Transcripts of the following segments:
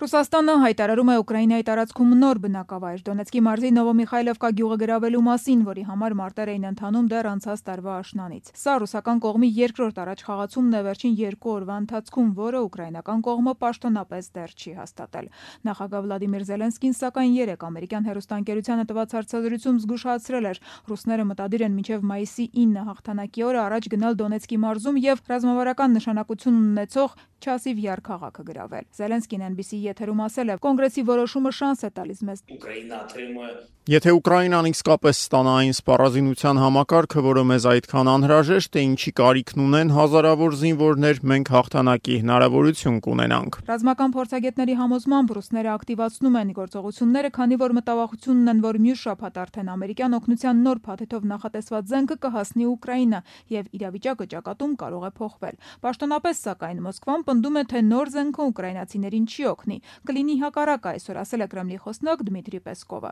Ռուսաստանը հայտարարում է Ուկրաինայի տարածքում նոր բնակավայր Դոնեցկի մարզի Նովոմիխայլովկա գյուղը գրավելու մասին, որի համար մարտեր էին ընթանում դեռ անցած տարվա աշնանից։ Սա ռուսական կողմի երկրորդ առաջխաղացումն է վերջին 2 օրվա ընթացքում, որը ուկրաինական կողմը պաշտոնապես դեռ չի հաստատել։ Նախագահ Վլադիմիր Զելենսկին սակայն երեկ ամերիկյան հեռուստաընկերությանը տված հարցազրույցում զգուշացրել էր, ռուսները մտադիր են մինչև մայիսի 9 հաղթանակի օրը առաջ գնալ Դոնեցկի մարզում եւ ռազմավարական նշանակություն ունեցող Չասիվ Յար քաղաքը գրավել։ Զելենսկին NBC եթերում ասել է, կոնգրեսի որոշումը շանս է տալիս մեզ։ Եթե Ուկրաինան իսկապես ստանա այն սպառազինության համակարգը, որը մեզ այդքան անհրաժեշտ է, ինչի կարիքն ունեն հազարավոր զինվորներ, մենք հաղթանակի հնարավորություն կունենանք։ Ռազմական փորձագետների համոզմամբ ռուսները ակտիվացնում են գործողությունները, քանի որ մտավախություն ունեն, որ մյուս շաբաթ արդեն ամերիկյան օգնության նոր փաթեթով նախատեսված զենքը կհասնի Ուկրաինա եւ իրավիճակը ճակատում կարող է փոխվել։ Պաշտոնապես սակայն Մոսկվան պնդում է, թե նոր զենքը ուկրաինացիներին չի օգնի, կլինի հակառակը, այսօր ասել է Կրեմլի խոսնակ Դմիտրի Պեսկովը։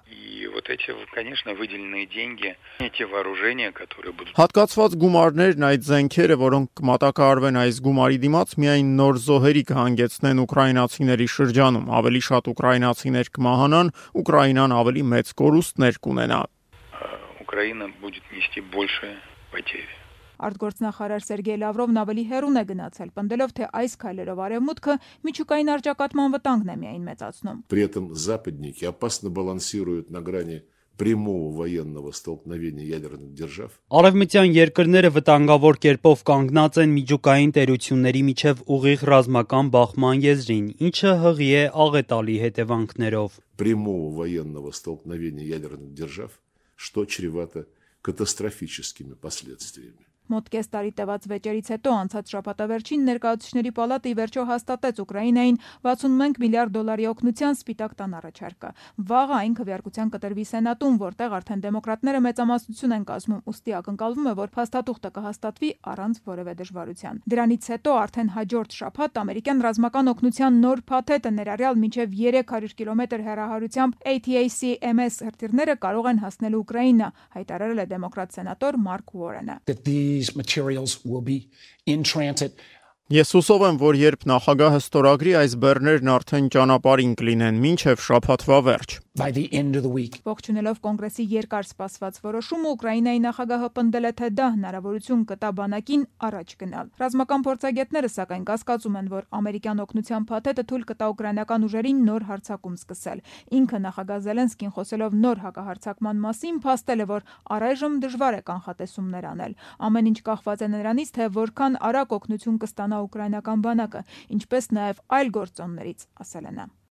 Հատկացված գումարներն այդ զենքերը, որոնք կմատակարարվեն այս գումարի դիմաց, միայն նոր զոհերի կհանգեցնեն ուկրաինացիների շրջանում, ավելի շատ ուկրաինացիներ կմահանան, Ուկրաինան ավելի մեծ կորուստներ կունենա։ Ուկրաինան будет нести большие потери. Արտգործնախարար Սերգեյ Լավրովն ավելի հեռուն է գնացել, պնդելով, թե այս քայլերով արևմուտքը միջուկային առճակատման վտանգն է միայն մեծացնում։ При этом западники опасно балансируют на грани прямого военного столкновения ядерных держав. Արևմտյան երկրները վտանգավոր կերպով կանգնած են միջուկային տերությունների միջև ուղիղ ռազմական բախման եզրին, ինչը հղի է աղետալի հետևանքներով։ Прямого военного столкновения ядерных держав, что чревато катастрофическими последствиями. Մոտ կես տարի տևած վեճերից հետո անցած շաբաթավերջին ներկայացուցիչների պալատը ի վերջո հաստատեց Ուկրաինային 61 միլիարդ դոլարի օգնության Սպիտակ տան առաջարկը։ Վաղը այն քվեարկության կտրվի Սենատում, որտեղ արդեն դեմոկրատները մեծամասնություն են կազմում, ուստի ակնկալվում է, որ փաստաթուղթը կհաստատվի առանց որևէ դժվարության։ Դրանից հետո արդեն հաջորդ շաբաթ ամերիկյան ռազմական օգնության նոր փաթեթը ներառյալ մինչև 300 կիլոմետր հեռահարությամբ ATACMS հրթիռները կարող են հասնել Ուկրաինա, հայտարարել է դեմոկրատ սենատոր Մարկ Ուորենը։ These materials will be in transit. Ես հուսով եմ, որ երբ նախագահը ստորագրի, այս բեռներն արդեն ճանապարհին կլինեն մինչև շաբաթվա վերջ։ By the end of the week. Ողջունելով կոնգրեսի երկար սպասված որոշումը, Ուկրաինայի նախագահը պնդել է, թե դա հնարավորություն կտա բանակին առաջ գնալ։ Ռազմական փորձագետները սակայն կասկածում են, որ ամերիկյան օգնության փաթեթը թույլ կտա ուկրաինական ուժերին նոր հարձակում սկսել։ Ինքը նախագահ Զելենսկին խոսելով նոր հակահարձակման մասին, փաստել է, որ առայժմ դժվար է կանխատեսումներ անել։ Ամեն ինչ կախված է նրանից, թե որքան արագ օգնություն կստանա ուկրաինական բանակը, ինչպես նաև այլ գործոններից, ասել է նա։